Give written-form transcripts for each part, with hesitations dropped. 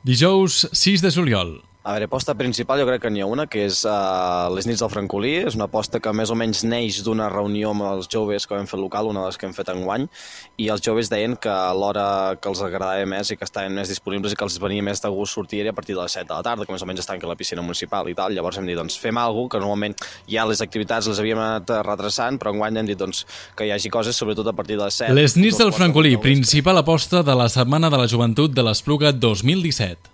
Dijous 6 de juliol. A veure, aposta principal jo crec que n'hi ha una, que és les nits del Francolí. És una aposta que més o menys neix d'una reunió amb els joves que vam fer local, una de les que hem fet enguany, i els joves deien que a l'hora que els agradava més i que estaven més disponibles i que els venia més de gust sortir a partir de les 7 de la tarda, que més o menys estan a la piscina municipal i tal. Llavors hem dit, doncs fem alguna cosa, que normalment ja les activitats les havíem anat retrasant, però enguany hem dit doncs, que hi hagi coses, sobretot a partir de les 7. Les nits del Francolí, principal aposta de la Setmana de la Joventut de l'Espluga 2017.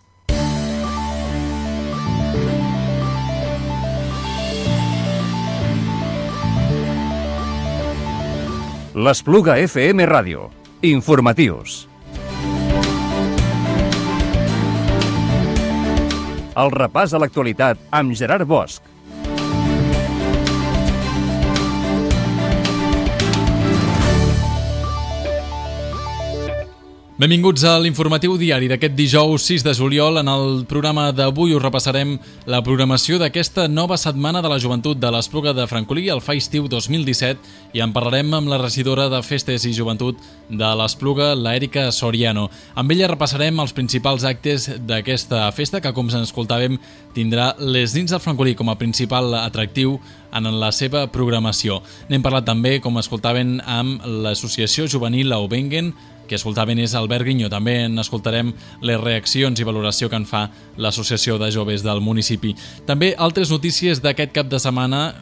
L'Espluga FM Ràdio. Informatius. El repàs a l'actualitat amb Gerard Bosch. Benvinguts a l'informatiu diari d'aquest dijous 6 de juliol. En el programa d'avui us repassarem la programació d'aquesta nova Setmana de la Joventut de l'Espluga de Francolí, el Fa Estiu 2017, i en parlarem amb la regidora de Festes i Joventut de l'Espluga, l'Èrica Soriano. Amb ella repassarem els principals actes d'aquesta festa, que, com escoltàvem, tindrà les nits del Francolí com a principal atractiu en la seva programació. N'hem parlat també, com escoltaven, amb l'associació juvenil Aubengen, que escoltaven és Albert Guinyo. També en escoltarem les reaccions i valoració que en fa l'Associació de Joves del municipi. També altres notícies d'aquest cap de setmana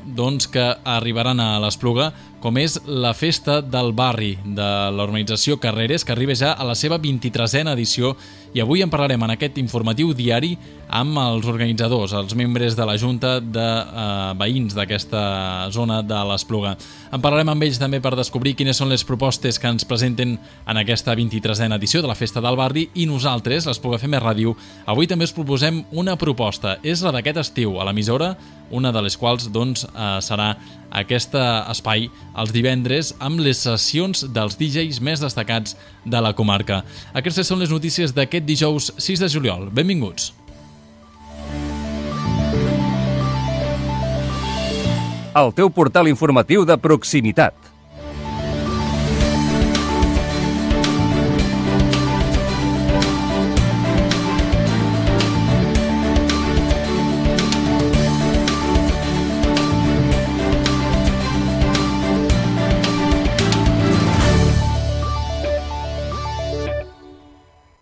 que arribaran a l'Espluga, com és la festa del barri de l'organització Carreres, que arriba ja a la seva 23a edició, i avui en parlarem en aquest informatiu diari amb els organitzadors, els membres de la Junta de Veïns d'aquesta zona de l'Espluga. En parlarem amb ells també per descobrir quines són les propostes que ens presenten en aquesta 23a edició de la Festa del Barri, i nosaltres, l'Espluga FM Ràdio, avui també us proposem una proposta. És la d'aquest estiu a l'emissora, una de les quals serà aquest espai els divendres amb les sessions dels DJs més destacats de la comarca. Aquestes són les notícies d'aquest dijous 6 de juliol. Benvinguts. El teu portal informatiu de proximitat.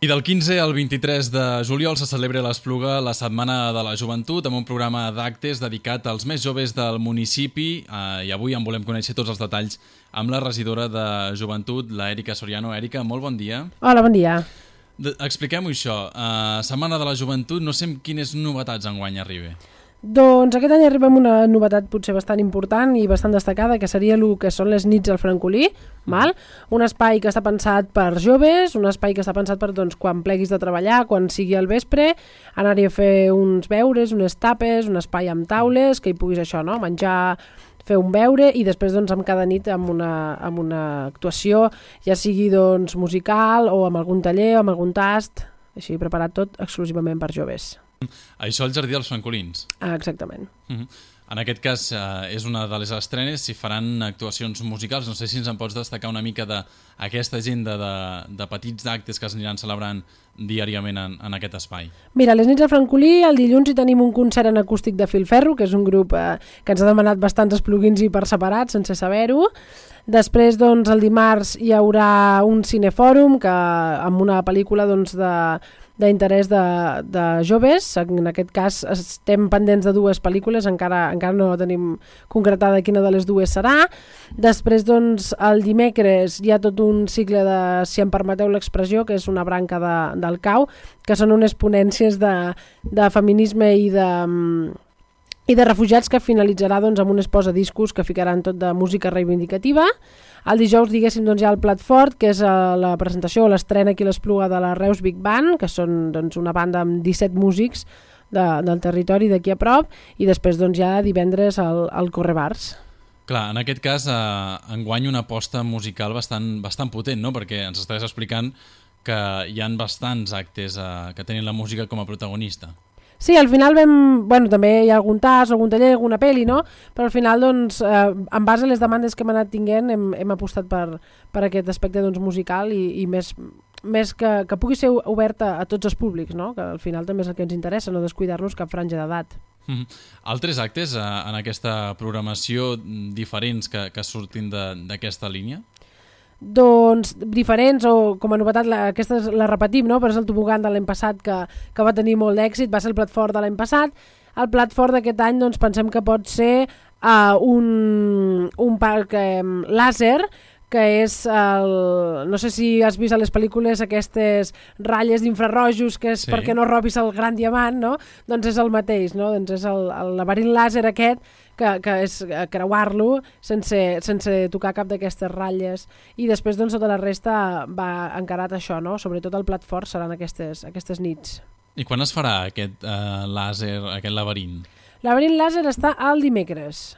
I del 15 al 23 de juliol se celebra a l'Espluga la Setmana de la Joventut, amb un programa d'actes dedicat als més joves del municipi, i avui en volem conèixer tots els detalls amb la regidora de Joventut, l'Èrica Soriano. Èrica, molt bon dia. Hola, bon dia. Expliquem-ho això. Setmana de la Joventut, no sé quines novetats enguany arriba. Doncs aquest any arriba amb una novetat potser bastant important i bastant destacada, que seria el que són les nits al Francolí, val? Un espai que està pensat per joves, un espai que està pensat per quan pleguis de treballar, quan sigui al vespre, anar-hi a fer uns beures, unes tapes, un espai amb taules, que hi puguis menjar, fer un beure, i després amb cada nit amb una actuació, ja sigui musical o amb algun taller o amb algun tast, així preparat tot exclusivament per joves. Això al Jardí dels Francolins. Exactament. En aquest cas és una de les estrenes, si faran actuacions musicals. No sé si ens en pots destacar una mica d'aquesta agenda de petits actes que es aniran celebrant diàriament en aquest espai. Mira, les nits del Francolí, el dilluns hi tenim un concert en acústic de Filferro, que és un grup que ens ha demanat bastants esplugins i per separat, sense saber-ho. Després, el dimarts hi haurà un cinefòrum amb una pel·lícula d'interès de joves. En aquest cas estem pendents de dues pel·lícules, encara no tenim concretada quina de les dues serà. Després, el dimecres hi ha tot un cicle de, si em permeteu l'expressió, que és una branca del CAU, que són unes ponències de feminisme i de refugiats, que finalitzarà amb un exposadiscos que ficaran tot de música reivindicativa. El dijous, diguéssim, hi ha el plat fort, que és la presentació o l'estrena aquí a l'Espluga de la Reus Big Band, que són una banda amb 17 músics del territori d'aquí a prop, i després hi ha divendres el Correbars. Clar, en aquest cas, enguany una aposta musical bastant potent, no? Perquè ens estàs explicant que hi ha bastants actes que tenen la música com a protagonista. Sí, al final també hi ha algun tas, algun taller, alguna pel·li, no? Però al final, doncs, en base a les demandes que hem anat tinguent, hem apostat per aquest aspecte doncs, musical i més que pugui ser oberta a tots els públics, no? Que al final també és el que ens interessa, no descuidar-nos cap franja d'edat. Altres actes en aquesta programació diferents que surtin d'aquesta línia? Doncs diferents, o com a novetat, aquesta la repetim, no? Però és el tobogan de l'any passat que va tenir molt d'èxit, va ser el plat fort de l'any passat. El plat fort d'aquest any doncs, pensem que pot ser un parc làser, que és no sé si has vist a les pel·lícules aquestes ratlles d'infrarrojos que és perquè no robis el gran diamant, no? Doncs és el mateix, no? Doncs és el laberint làser aquest que és creuar-lo sense tocar cap d'aquestes ratlles, i després doncs tota la resta va encarat a això, no? Sobretot el plat fort seran aquestes nits. I quan es farà aquest làser, aquest laberint? Laberint làser està el dimecres.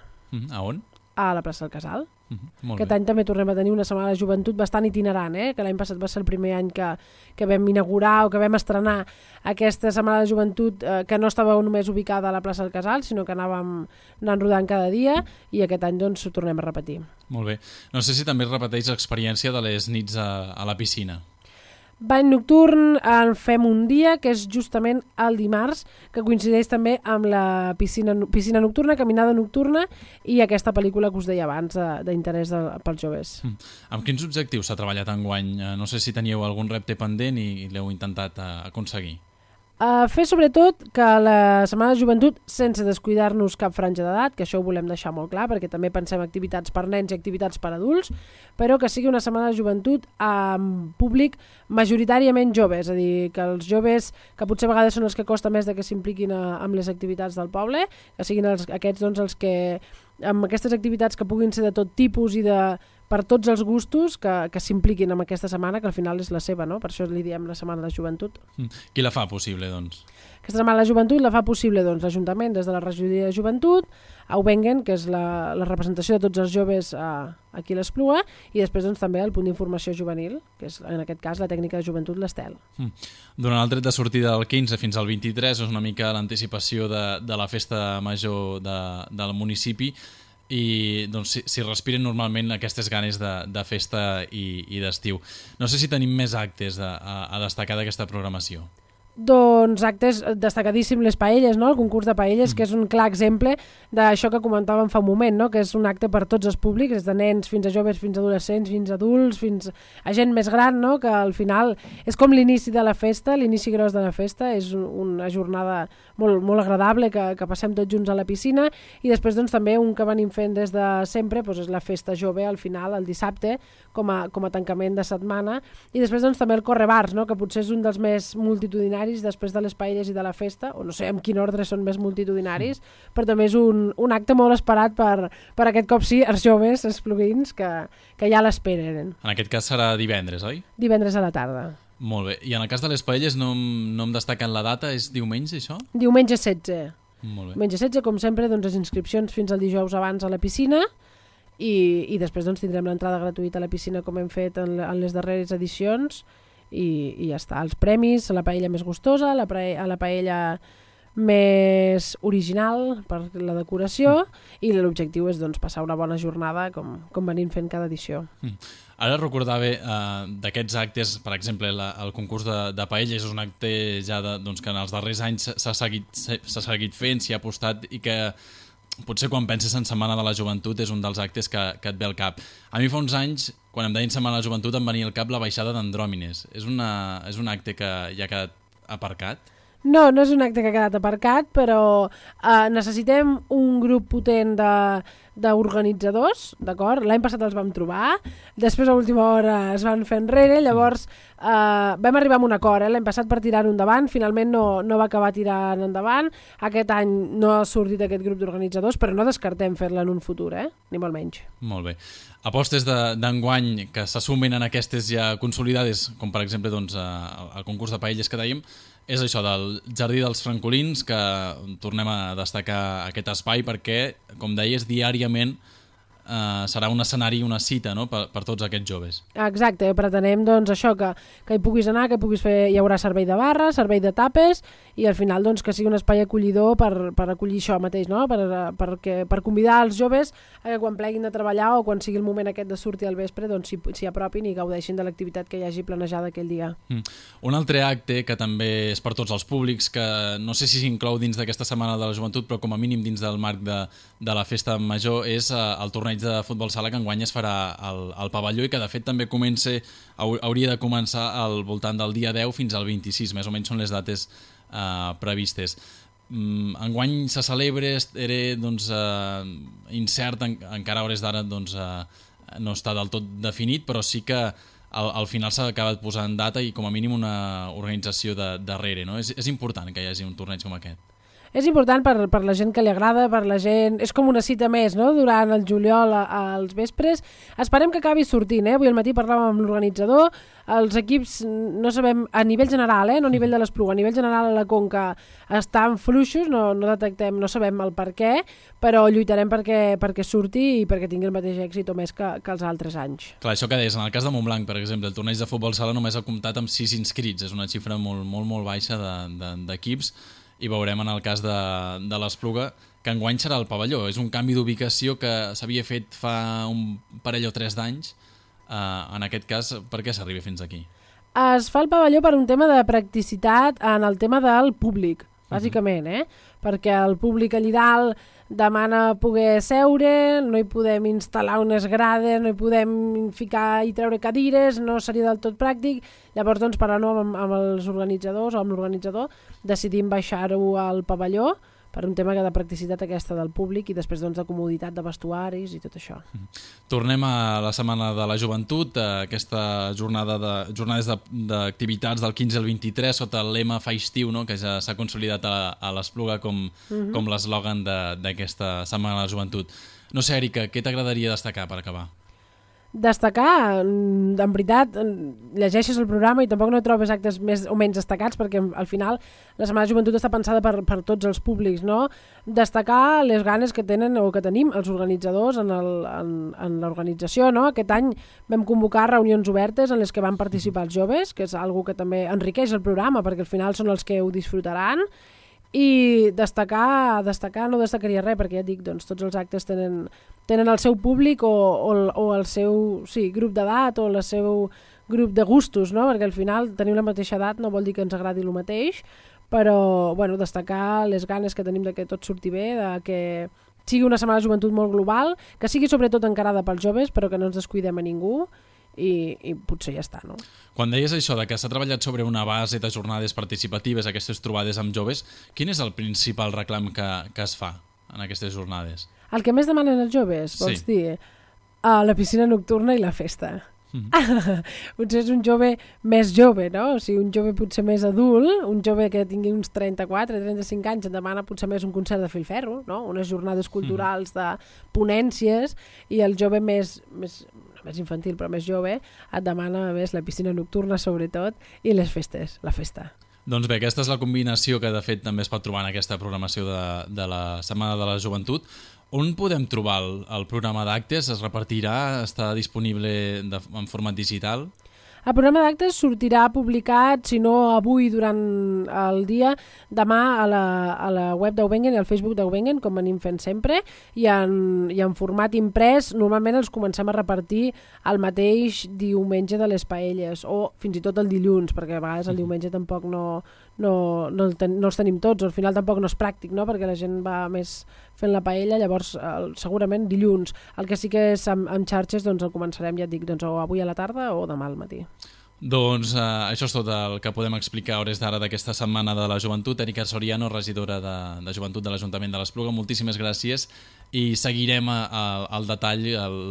A on? A la plaça del Casal. Aquest any també tornem a tenir una setmana de joventut bastant itinerant, que l'any passat va ser el primer any que vam inaugurar o que vam estrenar aquesta setmana de joventut que no estava només ubicada a la plaça del Casal, sinó que anàvem anant rodant cada dia, i aquest any doncs ho tornem a repetir. Molt bé. No sé si també es repeteix l'experiència de les nits a la piscina. Bany nocturn en fem un dia, que és justament el dimarts, que coincideix també amb la piscina nocturna, caminada nocturna i aquesta pel·lícula que us deia abans d'interès pels joves. Amb quins objectius s'ha treballat enguany? No sé si teníeu algun repte pendent i l'heu intentat aconseguir. Fer sobretot que la Setmana de Joventut, sense descuidar-nos cap franja d'edat, que això ho volem deixar molt clar, perquè també pensem activitats per nens i activitats per adults, però que sigui una Setmana de Joventut amb públic majoritàriament jove, és a dir, que els joves, que potser a vegades són els que costa més de que s'impliquin amb les activitats del poble, que siguin aquests doncs, els que, amb aquestes activitats que puguin ser de tot tipus i per tots els gustos, que s'impliquin en aquesta setmana, que al final és la seva, no? Per això li diem la Setmana de Joventut. Qui la fa possible, doncs? Aquesta Setmana de Joventut la fa possible doncs, l'Ajuntament des de la Regidoria de Joventut, Aubengen, que és la representació de tots els joves aquí a l'Espluga, i després doncs, també el punt d'informació juvenil, que és en aquest cas la tècnica de joventut l'Estel. Durant el tret de sortida del 15 fins al 23 és una mica l'anticipació de la festa major del municipi, i doncs, si respiren normalment aquestes ganes de festa i d'estiu. No sé si tenim més actes a destacar d'aquesta programació. Doncs actes destacadíssim, les paelles, no? El concurs de paelles, que és un clar exemple d'això que comentàvem fa un moment, no? Que és un acte per tots els públics, des de nens fins a joves, fins a adolescents, fins a adults, fins a gent més gran, no? Que al final és com l'inici de la festa, l'inici gros de la festa, és una jornada molt, molt agradable que passem tots junts a la piscina, i després doncs, també un que venim fent des de sempre doncs, és la festa jove al final, el dissabte, com a tancament de setmana, i després doncs, també el correbars, no? Que potser és un dels més multitudinaris després de les paelles i de la festa, o no sé en quin ordre són més multitudinaris, però també és un acte molt esperat per aquest cop sí, els joves, els plugins, que ja l'esperen. En aquest cas serà divendres, oi? Divendres a la tarda. Molt bé. I en el cas de les paelles no em destaquen la data, és diumenge això? Diumenge 16. Molt bé. Diumenge 16, com sempre, doncs, les inscripcions fins al dijous abans a la piscina, i després doncs, tindrem l'entrada gratuïta a la piscina com hem fet en les darreres edicions, i ja està, els premis, la paella més gustosa, la paella més original per la decoració, i l'objectiu és doncs, passar una bona jornada com venim fent cada edició. Ara recordava d'aquests actes, per exemple, el concurs de paella és un acte ja doncs, que en els darrers anys s'ha seguit fent, s'hi ha apostat, i que potser quan penses en Setmana de la Joventut és un dels actes que et ve al cap. A mi fa uns anys, quan em deien Setmana de la Joventut, em venia al cap la baixada d'Andròmines. És un acte que ja ha quedat aparcat? No és un acte que ha quedat aparcat, però necessitem un grup potent d'organitzadors, d'acord? L'any passat els vam trobar, després a última hora es van fer enrere, llavors vam arribar a un acord, l'any passat per tirar-ho endavant, finalment no va acabar tirant endavant, aquest any no ha sortit aquest grup d'organitzadors, però no descartem fer-la en un futur, ni molt menys. Molt bé. Apostes d'enguany que se sumen en aquestes ja consolidades, com per exemple doncs, el concurs de paelles que dèiem, és això del Jardí dels Francolins, que tornem a destacar aquest espai perquè, com deies, diàriament serà un escenari, una cita, no? per tots aquests joves. Exacte, pretenem doncs, això, que hi puguis anar, que puguis fer, hi haurà servei de barra, servei de tapes, i al final doncs, que sigui un espai acollidor per acollir això mateix, no? per convidar els joves a que quan pleguin de treballar o quan sigui el moment aquest de sortir al vespre doncs s'hi apropin i gaudeixin de l'activitat que hi hagi planejada aquell dia. Un altre acte que també és per tots els públics, que no sé si s'inclou dins d'aquesta Setmana de la Joventut, però com a mínim dins del marc de la Festa Major, és el torneig de futbol sala que enguany es farà al pavelló i que de fet també hauria de començar al voltant del dia 10 fins al 26, més o menys són les dates previstes. Enguany se celebra, era incert, encara a hores d'ara no està del tot definit, però sí que al final s'ha acabat posant data i com a mínim una organització darrere, no? És important que hi hagi un torneig com aquest. És important per la gent que li agrada, per la gent... És com una cita més, no?, durant el juliol als vespres. Esperem que acabi sortint, Avui al matí parlàvem amb l'organitzador. Els equips, no sabem, a nivell general, no a nivell de l'Espluga, a nivell general a la Conca estan fluixos, no detectem, no sabem el per què, però lluitarem perquè surti i perquè tingui el mateix èxit o més que els altres anys. Clar, això que deies, en el cas de Montblanc, per exemple, el torneig de futbol sala només ha comptat amb 6 inscrits, és una xifra molt, molt, molt baixa d'equips, i veurem en el cas de l'Espluga que enguany serà el pavelló. És un canvi d'ubicació que s'havia fet fa un parell o 3 d'anys. En aquest cas, per què s'arriba fins aquí? Es fa el pavelló per un tema de practicitat en el tema del públic, bàsicament, perquè el públic allà dalt demana poder seure, no hi podem instal·lar unes grades, no hi podem ficar i treure cadires, no seria del tot pràctic. Llavors, doncs, parlant amb els organitzadors o amb l'organitzador, decidim baixar-ho al pavelló per un tema de practicitat aquesta del públic i després doncs, de comoditat de vestuaris i tot això. Tornem a la Setmana de la Joventut, aquesta jornades d'activitats del 15 al 23 sota el lema Fa estiu, no? Que ja s'ha consolidat a l'Espluga com l'eslògan d'aquesta Setmana de la Joventut. No sé, Èrica, què t'agradaria destacar per acabar? Destacar, en veritat, llegeixes el programa i tampoc no trobes actes més o menys destacats perquè al final la Setmana de Joventut està pensada per tots els públics, no? Destacar les ganes que tenen o que tenim els organitzadors en l'organització, no? Aquest any vam convocar reunions obertes en les que van participar els joves, que és una cosa que també enriqueix el programa perquè al final són els que ho disfrutaran. I destacar no destacaria res, perquè ja et dic, doncs, tots els actes tenen el seu públic o el seu grup d'edat o el seu grup de gustos, no? Perquè al final tenir la mateixa edat no vol dir que ens agradi el mateix, però destacar les ganes que tenim de que tot surti bé, de que sigui una Setmana de Joventut molt global, que sigui sobretot encarada pels joves, però que no ens descuidem a ningú, i potser ja està, no? Quan deies això de que s'ha treballat sobre una base de jornades participatives, aquestes trobades amb joves, quin és el principal reclam que es fa en aquestes jornades? El que més demanen els joves, vols dir? La piscina nocturna i la festa. Potser és un jove més jove, no? O sigui, un jove potser més adult, un jove que tingui uns 34, 35 anys, et demana potser més un concert de filferro, no? Unes jornades culturals de ponències, i el jove més infantil però més jove et demana més la piscina nocturna sobretot i les festes, la festa. Doncs bé, aquesta és la combinació que de fet també es pot trobar en aquesta programació de la Setmana de la Joventut. On podem trobar el programa d'actes? Es repartirà? Està disponible en format digital? El programa d'actes sortirà publicat, si no avui durant el dia, demà a la web d'Eubengen i al Facebook d'Eubengen, com anem fent sempre, i en format imprès normalment els comencem a repartir el mateix diumenge de les paelles, o fins i tot el dilluns, perquè a vegades el diumenge tampoc no els tenim tots, o al final tampoc no és pràctic, no? Perquè la gent va més fent la paella, llavors segurament dilluns. El que sí que és amb xarxes doncs el començarem, ja et dic, doncs, o avui a la tarda o demà al matí. Doncs això és tot el que podem explicar a hores d'ara d'aquesta Setmana de la Joventut. Èrica Soriano, regidora de Joventut de l'Ajuntament de l'Espluga, moltíssimes gràcies i seguirem al detall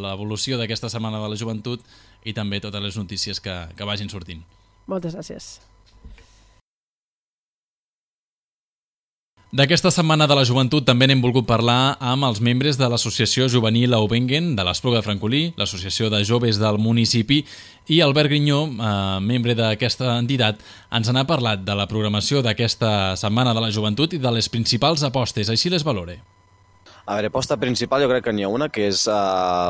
l'evolució d'aquesta Setmana de la Joventut i també totes les notícies que vagin sortint. Moltes gràcies. D'aquesta Setmana de la Joventut també n'hem volgut parlar amb els membres de l'Associació Juvenil Eubengen de l'Espluga de Francolí, l'Associació de Joves del municipi, i Albert Grinyó, membre d'aquesta entitat, ens n'ha parlat de la programació d'aquesta Setmana de la Joventut i de les principals apostes, així les valore. A veure, aposta principal jo crec que n'hi ha una, que és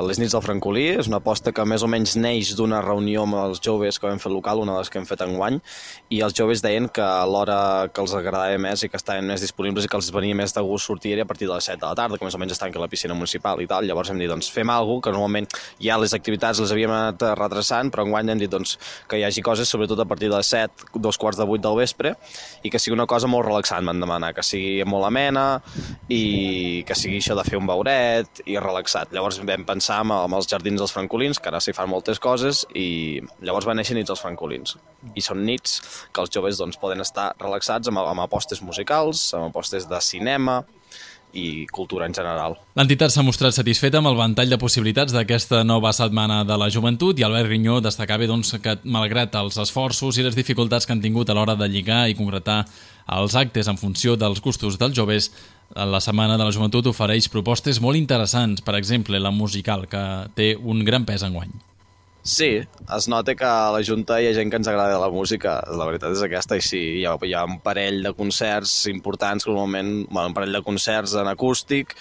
les nits del Francolí. És una aposta que més o menys neix d'una reunió amb els joves que vam fer local, una de les que hem fet enguany, i els joves deien que a l'hora que els agradava més i que estaven més disponibles i que els venia més de gust sortir a partir de les 7 de la tarda, que més o menys estan aquí a la piscina municipal i tal. Llavors hem dit, doncs fem alguna cosa, que normalment ja les activitats les havíem anat retrasant, però enguany hem dit doncs, que hi hagi coses, sobretot a partir de les 7, 7:45 del vespre, i que sigui una cosa molt relaxant, m'han demanat, que sigui molt amena i que sigui això de fer un beuret i relaxat. Llavors vam pensar amb els jardins dels francolins, que ara s'hi fan moltes coses, i llavors va néixer Nits dels Francolins. I són nits que els joves doncs, poden estar relaxats amb apostes musicals, amb apostes de cinema i cultura en general. L'entitat s'ha mostrat satisfeta amb el ventall de possibilitats d'aquesta nova setmana de la joventut i Albert Rinyó destacava doncs, que, malgrat els esforços i les dificultats que han tingut a l'hora de lligar i concretar els actes en funció dels gustos dels joves, la Setmana de la Joventut ofereix propostes molt interessants, per exemple, la musical, que té un gran pes enguany. Sí, es nota que a la Junta hi ha gent que ens agrada la música, la veritat és aquesta, i sí, hi ha un parell de concerts importants, normalment, un parell de concerts en acústic,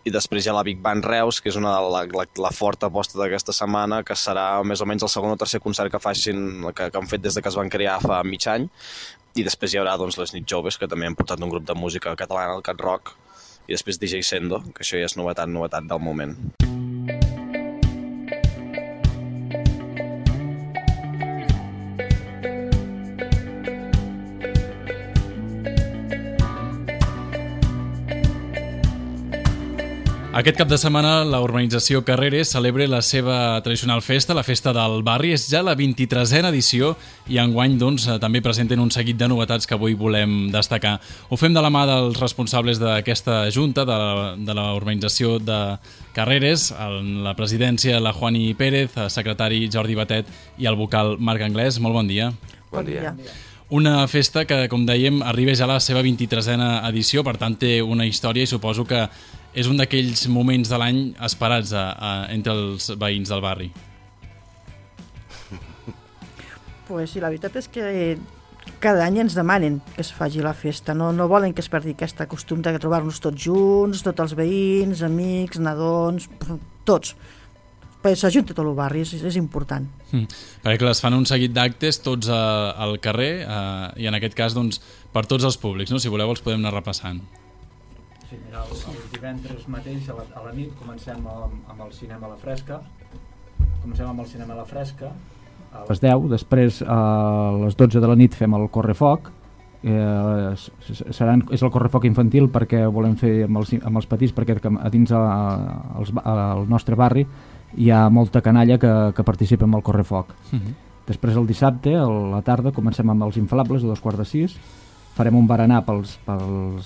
i després hi ha la Big Band Reus, que és una de la forta aposta d'aquesta setmana, que serà més o menys el segon o tercer concert que han fet des de que es van crear fa mig any, i després hi haurà doncs, les nits joves, que també han portat un grup de música catalana, el Cat Rock, i després DJ Sendo, que això ja és novetat del moment. Aquest cap de setmana la urbanització Carreres celebra la seva tradicional festa, la Festa del Barri. És ja la 23a edició i enguany doncs, també presenten un seguit de novetats que avui volem destacar. Ho fem de la mà dels responsables d'aquesta junta, de la urbanització de Carreres, la presidència la Juani Pérez, el secretari Jordi Batet i el vocal Marc Anglès. Molt bon dia. Bon dia. Una festa que, com dèiem, arriba ja a la seva 23a edició, per tant té una història i suposo que és un d'aquells moments de l'any esperats entre els veïns del barri. Pues sí, la veritat és que cada any ens demanen que es faci la festa, no volen que es perdi aquest costum de trobar-nos tots junts, tots els veïns, amics, nadons, tots. S'ajunta tot el barri, és important. Perquè clar, es fan un seguit d'actes tots al carrer i en aquest cas doncs, per tots els públics, no? Si voleu els podem anar repassant. Sí, mira, el divendres mateix a la nit comencem amb el cinema a la fresca. A les 10, després a les 12 de la nit fem el correfoc. És el correfoc infantil perquè volem fer amb els petits, perquè a dins al nostre barri hi ha molta canalla que participa en el correfoc. Després el dissabte, a la tarda, comencem amb els inflables a 5:15. Farem un berenar pels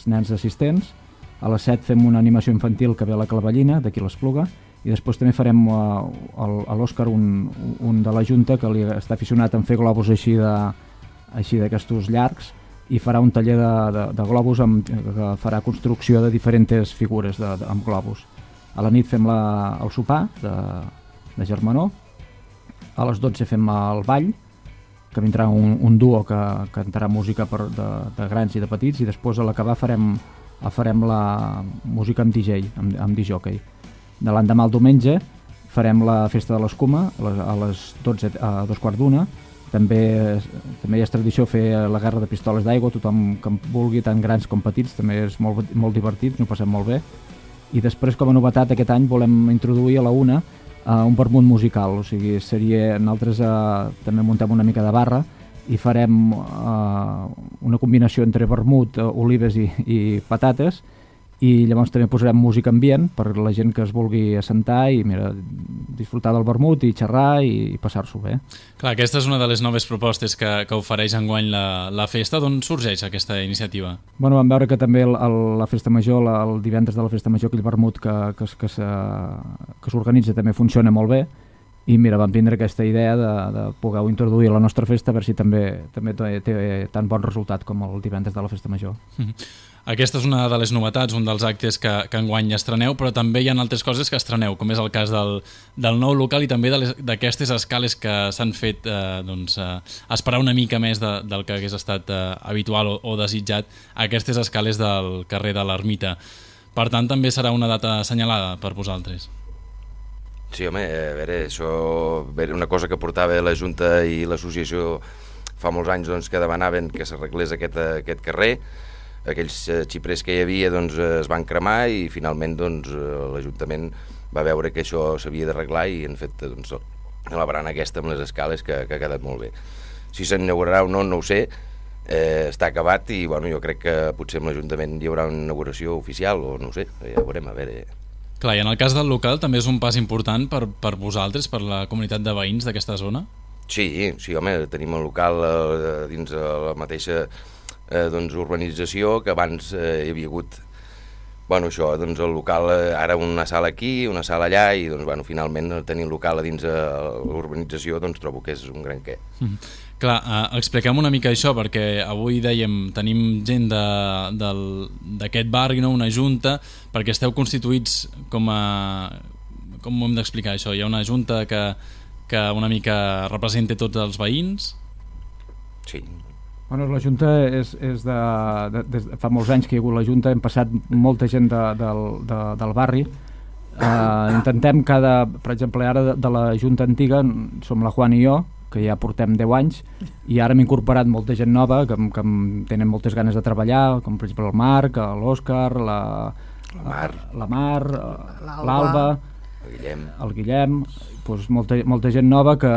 nens assistents. A les 7 fem una animació infantil que ve a la Clavellina, d'aquí l'Espluga, i després també farem a l'Òscar, un de la Junta que li està aficionat en fer globus així d'aquestos llargs, i farà un taller de globus que farà construcció de diferents figures amb globus. A la nit fem el sopar de germanor. A les 12 fem el ball, que vindrà un duo que cantarà música de grans i de petits, i després a l'acabar farem la música amb DJ, amb disjockey. De l'endemà al diumenge farem la festa de l'escuma a les 12, a 2:15. També és tradició fer la guerra de pistoles d'aigua, tothom que vulgui, tant grans com petits, també és molt divertit, ens ho passem molt bé. I després, com a novetat, aquest any volem introduir a la 1 un vermut musical, o sigui, nosaltres també muntem una mica de barra i farem una combinació entre vermut, olives i patates, i llavors també posarem música ambient per la gent que es vulgui assentar i disfrutar del vermut i xerrar i passar-s'ho bé. Clar, aquesta és una de les noves propostes que ofereix enguany la festa. D'on sorgeix aquesta iniciativa? Bueno, vam veure que també la Festa Major, el divendres de la Festa Major, aquell vermut que s'organitza també funciona molt bé, i mira, vam tindre aquesta idea de poder-ho introduir a la nostra festa, a veure si també té tan bon resultat com el divendres de la Festa Major. Aquesta és una de les novetats, un dels actes que enguany estreneu, però també hi ha altres coses que estreneu, com és el cas del nou local i també d'aquestes escales que s'han fet esperar una mica més del que hagués estat habitual o desitjat, aquestes escales del carrer de l'Ermita. Per tant, també serà una data assenyalada per vosaltres. Sí, home, a veure, això era una cosa que portava la Junta i l'Associació fa molts anys doncs, que demanaven que s'arreglés aquest carrer. Aquells xiprers que hi havia doncs, es van cremar i finalment doncs, l'Ajuntament va veure que això s'havia d'arreglar i han fet doncs, la barana aquesta amb les escales que ha quedat molt bé. Si s'inaugurarà o no, no ho sé, està acabat i bueno, jo crec que potser amb l'Ajuntament hi haurà una inauguració oficial o no ho sé, ja ho veurem, a veure. Clar, i en el cas del local també és un pas important per vosaltres, per la comunitat de veïns d'aquesta zona? Sí, home, tenim el local dins la mateixa doncs, urbanització que abans hi havia hagut això, doncs el local, ara una sala aquí, una sala allà i doncs, finalment tenir el local a dins l'urbanització doncs, trobo que és un gran què. Clar, expliquem una mica això perquè avui dèiem, tenim gent d'aquest barri, no? Una junta, perquè esteu constituïts com ho hem d'explicar això? Hi ha una junta que una mica representa tots els veïns? Sí. Bueno, la Junta és fa molts anys que hi ha hagut la Junta, hem passat molta gent del barri. Intentem per exemple, ara de la Junta antiga som la Juan i jo, que ja portem 10 anys, i ara hem incorporat molta gent nova que tenen moltes ganes de treballar, com per exemple el Marc, l'Òscar, la Mar, l'Alba, el Guillem, doncs molta gent nova que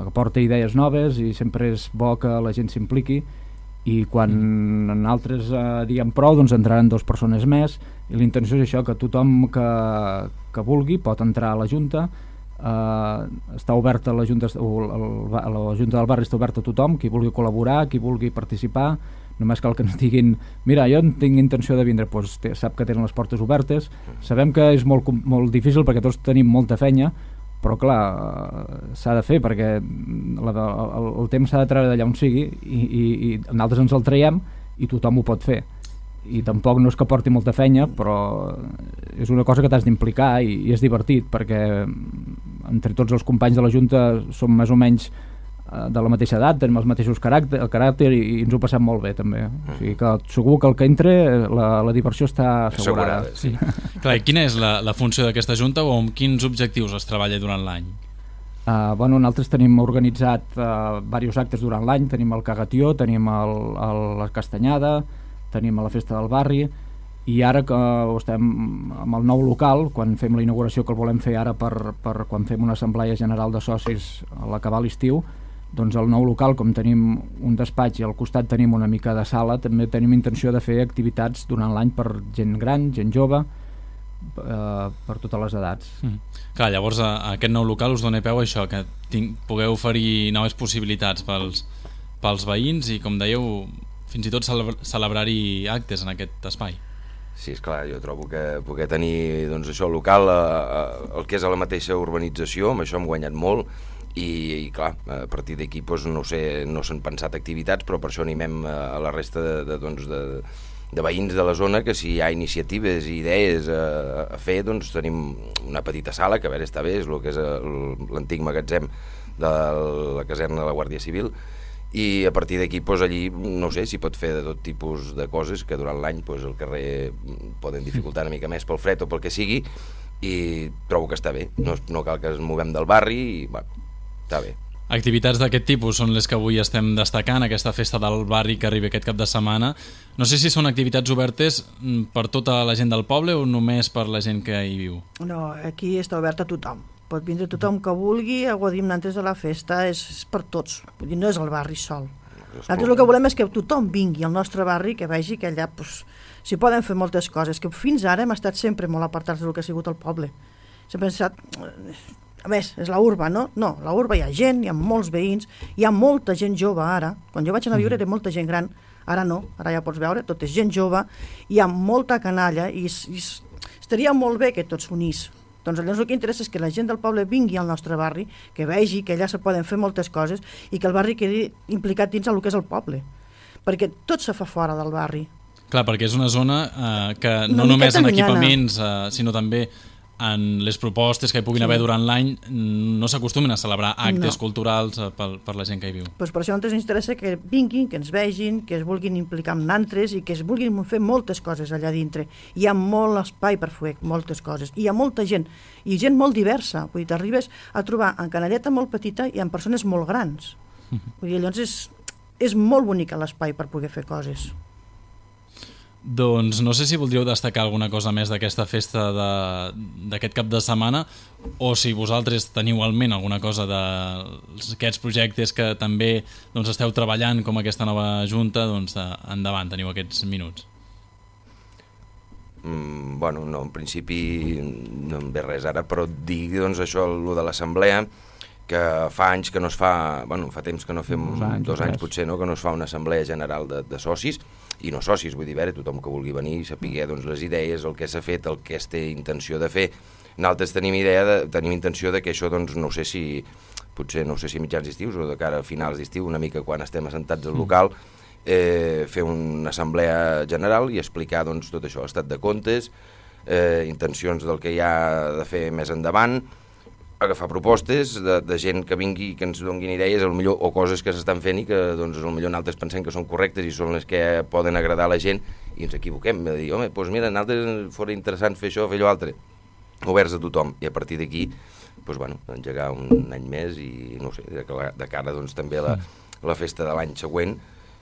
aporta idees noves i sempre és bo que la gent s'impliqui i quan altres diguem prou doncs entraran 2 persones més i l'intenció és això, que tothom que vulgui pot entrar a la Junta. Està oberta la Junta del barri, està oberta a tothom, qui vulgui col·laborar, qui vulgui participar, només cal que ens diguin mira, jo tinc intenció de vindre, doncs sap que tenen les portes obertes. Sabem que és molt difícil perquè tots tenim molta feina, però clar, s'ha de fer perquè el temps s'ha de treure d'allà on sigui i nosaltres ens el traiem i tothom ho pot fer. I tampoc no és que porti molta feina, però és una cosa que t'has d'implicar i és divertit perquè entre tots els companys de la Junta som més o menys de la mateixa edat, tenim els mateixos caràcter i ens ho passem molt bé també. O sigui que segur que el que entre la diversió està assegurada. Sí. Clar, i quina és la funció d'aquesta Junta o amb quins objectius es treballa durant l'any? Nosaltres tenim organitzat diversos actes durant l'any, tenim el Cagatió, tenim la Castanyada, tenim a la festa del barri i ara que estem amb el nou local, quan fem la inauguració que el volem fer ara per quan fem una assemblea general de socis a l'acabar l'estiu, doncs el nou local, com tenim un despatx i al costat tenim una mica de sala, també tenim intenció de fer activitats durant l'any per gent gran, gent jove, per totes les edats. Clar, llavors aquest nou local us dona peu a això, que pugueu oferir noves possibilitats pels veïns i, com dèieu, fins i tot celebrar-hi actes en aquest espai. Sí, esclar, jo trobo que poder tenir doncs, això local, el que és a la mateixa urbanització, amb això hem guanyat molt i clar, a partir d'aquí doncs, no sé, no s'han pensat activitats, però per això animem a la resta de veïns de la zona que si hi ha iniciatives i idees a fer, doncs tenim una petita sala que a veure està bé, és el que és l'antic magatzem de la caserna de la Guàrdia Civil i a partir d'aquí doncs, allí no sé si pot fer de tot tipus de coses que durant l'any doncs, el carrer poden dificultar una mica més pel fred o pel que sigui i trobo que està bé, no cal que ens movem del barri i bueno, està bé. Activitats d'aquest tipus són les que avui estem destacant, aquesta festa del barri que arriba aquest cap de setmana. No sé si són activitats obertes per tota la gent del poble o només per la gent que hi viu? No, aquí està obert a tothom. Pot vindre tothom que vulgui, ho diem antes de la festa, és per tots, vull dir, no és el barri sol. Nosaltres el que volem és que tothom vingui al nostre barri, que vegi que allà s'hi poden fer moltes coses, que fins ara hem estat sempre molt apartats del que ha sigut el poble. Sempre hem estat... A més, és la urba, no? No, la urba hi ha gent, hi ha molts veïns, hi ha molta gent jove ara. Quan jo vaig anar a viure era molta gent gran, ara no, ara ja pots veure, tot és gent jove, hi ha molta canalla i estaria molt bé que tots s'unís. Doncs llavors el que interessa és que la gent del poble vingui al nostre barri, que vegi que allà se poden fer moltes coses i que el barri quedi implicat dins el que és el poble. Perquè tot se fa fora del barri. Clar, perquè és una zona que no només en equipaments, sinó també en les propostes que hi puguin haver durant l'any no s'acostumin a celebrar actes culturals per la gent que hi viu. Pues per això ens interessa que vinguin, que ens vegin, que es vulguin implicar amb altres i que es vulguin fer moltes coses allà dintre. Hi ha molt espai per fer moltes coses. I hi ha molta gent, i gent molt diversa. Vull dir, t'arribes a trobar en canalleta molt petita i en persones molt grans. Vull dir, llavors és molt bonic l'espai per poder fer coses. Doncs no sé si voldríeu destacar alguna cosa més d'aquesta festa d'aquest cap de setmana o si vosaltres teniu al ment alguna cosa d'aquests projectes que també esteu treballant com aquesta nova junta, doncs endavant, teniu aquests minuts. Bueno, no, en principi no em ve res ara, però dir això, el de l'assemblea, que fa anys que no es fa, bueno, fa temps que no fem, 2 anys potser, no, que no es fa una assemblea general de socis, i no socis, vull dir, tothom que vulgui venir i saber les idees, el que s'ha fet, el que es té intenció de fer. Nosaltres tenim intenció de que això, no sé si mitjans d'estius o de cara a finals d'estiu, una mica quan estem assentats al local, fer una assemblea general i explicar tot això, l'estat de comptes, intencions del que hi ha de fer més endavant, agafar propostes de gent que vingui i que ens donguin idees o coses que s'estan fent i que potser nosaltres pensem que són correctes i són les que poden agradar a la gent i ens equivoquem, de dir, home, doncs mira, nosaltres fos interessant fer això, fer allò altre, oberts a tothom, i a partir d'aquí engegar un any més i no sé, de cara també a la festa de l'any següent,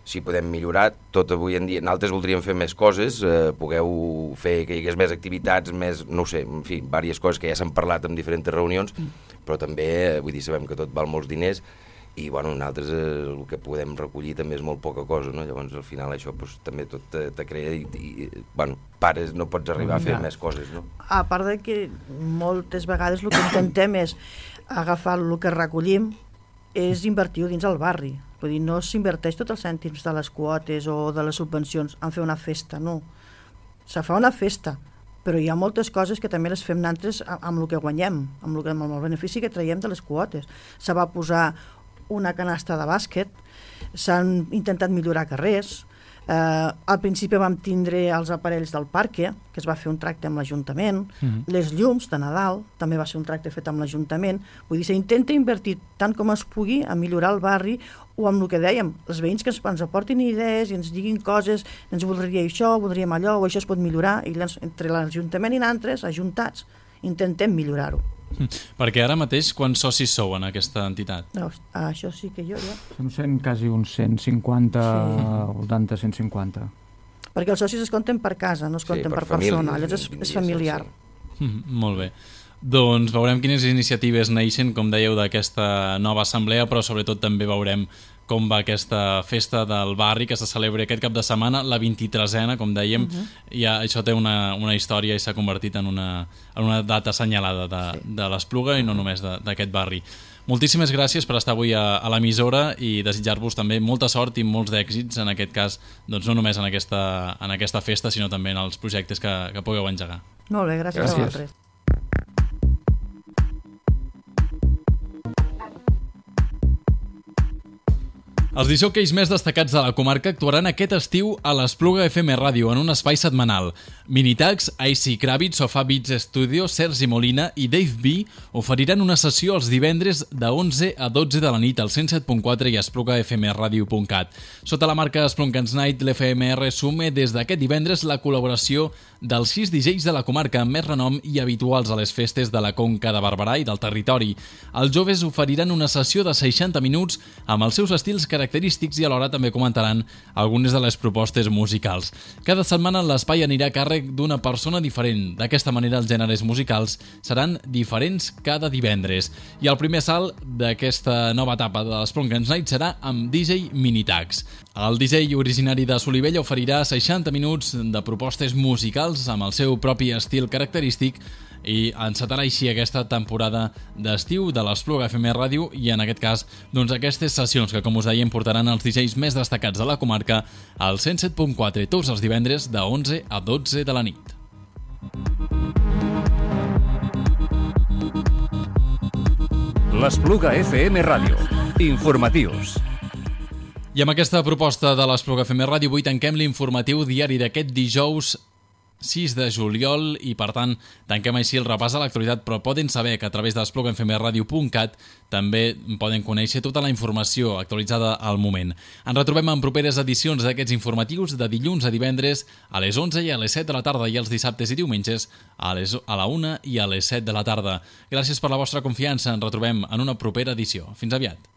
si podem millorar, tot avui en dia, nosaltres voldríem fer més coses, pugueu fer que hi hagués més activitats, més, no sé, en fi, diverses coses que ja s'han parlat en diferents reunions, però també, vull dir, sabem que tot val molts diners i, nosaltres el que podem recollir també és molt poca cosa, no? Llavors, al final, això també tot te crea i pares, no pots arribar a fer més coses, no? A part de que moltes vegades el que intentem és agafar el que recollim és invertir-ho dins el barri. Vull dir, no s'inverteix tots els cèntims de les quotes o de les subvencions en fer una festa, no. Se fa una festa, però hi ha moltes coses que també les fem nosaltres amb el que guanyem, amb el benefici que traiem de les quotes. Se va posar una canasta de bàsquet, s'han intentat millorar carrers, al principi vam tindre els aparells del parque, que es va fer un tracte amb l'Ajuntament, les llums de Nadal, també va ser un tracte fet amb l'Ajuntament. Vull dir, s'intenta invertir tant com es pugui a millorar el barri o amb el que dèiem, els veïns que ens aportin idees i ens diguin coses, ens voldria això, voldríem allò, o això es pot millorar, i entre l'Ajuntament i nosaltres, ajuntats, intentem millorar-ho. Perquè ara mateix quants socis sou en aquesta entitat? No, això sí que jo ja... Són quasi uns 150, al voltant de 150. Perquè els socis es compten per casa, no es compten per persona, llavors és familiar. Molt bé. Doncs veurem quines iniciatives neixen, com dèieu, d'aquesta nova assemblea, però sobretot també veurem com va aquesta festa del barri que se celebra aquest cap de setmana, la 23a, com dèiem, i això té una història i s'ha convertit en una data assenyalada de l'Espluga i no només d'aquest barri. Moltíssimes gràcies per estar avui a l'emissora i desitjar-vos també molta sort i molts d'èxits, en aquest cas, doncs no només en aquesta festa, sinó també en els projectes que pugueu engegar. Molt bé, gràcies a vosaltres. Els discjòqueis més destacats de la comarca actuaran aquest estiu a l'Espluga FM Ràdio en un espai setmanal. Minitax, AC Kravitz, Sofà Beats Studio, Sergi Molina i Dave B oferiran una sessió els divendres de 11 a 12 de la nit al 107.4 i esplugafmradio.cat. Sota la marca Splunkens Night, l'FMR assume des d'aquest divendres la col·laboració dels 6 DJs de la comarca amb més renom i habituals a les festes de la Conca de Barberà i del territori. Els joves oferiran una sessió de 60 minuts amb els seus estils característics i alhora també comentaran algunes de les propostes musicals. Cada setmana l'espai anirà a càrrec d'una persona diferent. D'aquesta manera els gèneres musicals seran diferents cada divendres. I el primer salt d'aquesta nova etapa de l'Splunkens Night serà amb DJ Minitax. El DJ originari de Solivella oferirà 60 minuts de propostes musicals amb el seu propi estil característic i encetarà així aquesta temporada d'estiu de l'Espluga FM Ràdio i en aquest cas doncs aquestes sessions que com us dèiem portaran els DJs més destacats de la comarca al 107.4 tots els divendres de 11 a 12 de la nit. L'Espluga FM Ràdio. Informatius. I amb aquesta proposta de l'Espluga FM Ràdio avui tanquem l'informatiu diari d'aquest dijous 6 de juliol i, per tant, tanquem així el repàs a l'actualitat, però poden saber que a través d'espluguenfmradio.cat també poden conèixer tota la informació actualitzada al moment. Ens retrobem en properes edicions d'aquests informatius de dilluns a divendres a les 11 i a les 7 de la tarda i els dissabtes i diumenges a la 1 i a les 7 de la tarda. Gràcies per la vostra confiança. Ens retrobem en una propera edició. Fins aviat.